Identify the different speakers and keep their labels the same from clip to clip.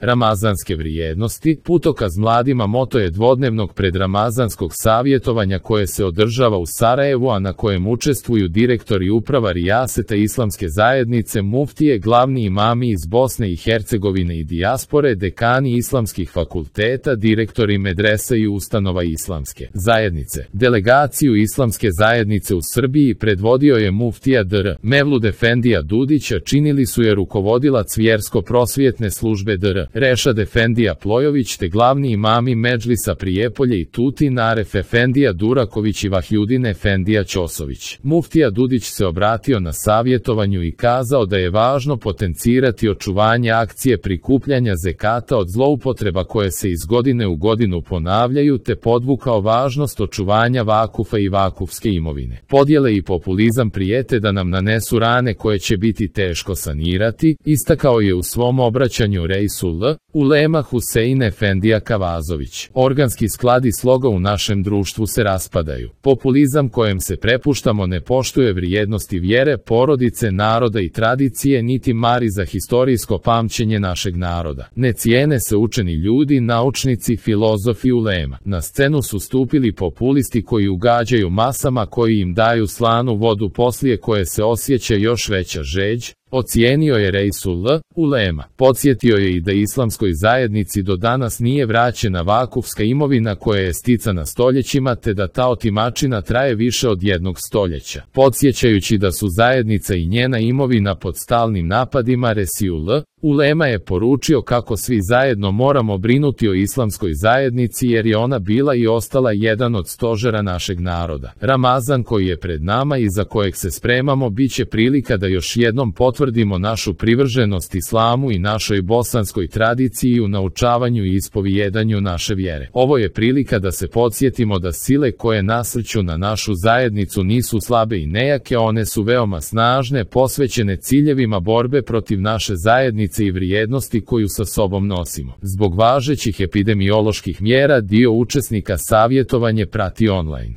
Speaker 1: Ramazanske vrijednosti. Putokaz mladima moto je dvodnevnog predramazanskog savjetovanja koje se održava u Sarajevu, a na kojem učestvuju direktori uprava Rijaseta Islamske zajednice, muftije, glavni imami iz Bosne i Hercegovine i dijaspore, dekani islamskih fakulteta, direktori medresa i ustanova Islamske zajednice. Delegaciju Islamske zajednice u Srbiji predvodio je muftija dr. Mevlud Efendija Dudić, a činili su je rukovodilac vjersko-prosvjetne službe dr. Rešad Efendija Plojović te glavni imami Medžlisa Prijepolje i Tutin Aref Efendija Duraković i Vahjudin Efendija Ćosović. Muftija Dudić se obratio na savjetovanju i kazao da je važno potencirati očuvanje akcije prikupljanja zekata od zloupotreba koje se iz godine u godinu ponavljaju, te podvukao važnost očuvanja vakufa i vakufske imovine. Podjele i populizam prijete da nam nanesu rane koje će biti teško sanirati, istakao je u svom obraćanju Reisul Ulema Husein Efendija Kavazović. Organski sklad i sloga u našem društvu se raspadaju. Populizam kojem se prepuštamo ne poštuje vrijednosti vjere, porodice, naroda i tradicije, niti mari za historijsko pamćenje našeg naroda. Ne cijene se učeni ljudi, naučnici, filozofi, ulema. Na scenu su stupili populisti koji ugađaju masama, koji im daju slanu vodu poslije koje se osjeća još veća žeđ, ocijenio je Reisul Ulema. Podsjetio je i da islamskoj zajednici do danas nije vraćena vakufska imovina koja je sticana stoljećima, te da ta otimačina traje više od jednog stoljeća. Podsjećajući da su zajednica i njena imovina pod stalnim napadima, Reisul Ulema je poručio kako svi zajedno moramo brinuti o islamskoj zajednici jer je ona bila i ostala jedan od stožera našeg naroda. Ramazan koji je pred nama i za kojeg se spremamo biće prilika da još jednom potvrdimo našu privrženost islamu i našoj bosanskoj tradiciji u naučavanju i ispovijedanju naše vjere. Ovo je prilika da se podsjetimo da sile koje nasrću na našu zajednicu nisu slabe i nejake, one su veoma snažne, posvećene ciljevima borbe protiv naše zajednice i vrijednosti koju sa sobom nosimo. Zbog važećih epidemioloških mjera dio učesnika savjetovanje prati online.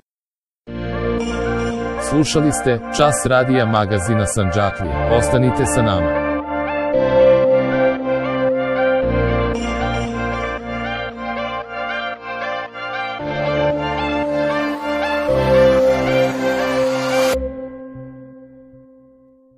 Speaker 1: Slušali ste Čas radija magazina Sandžaklija. Ostanite sa nama.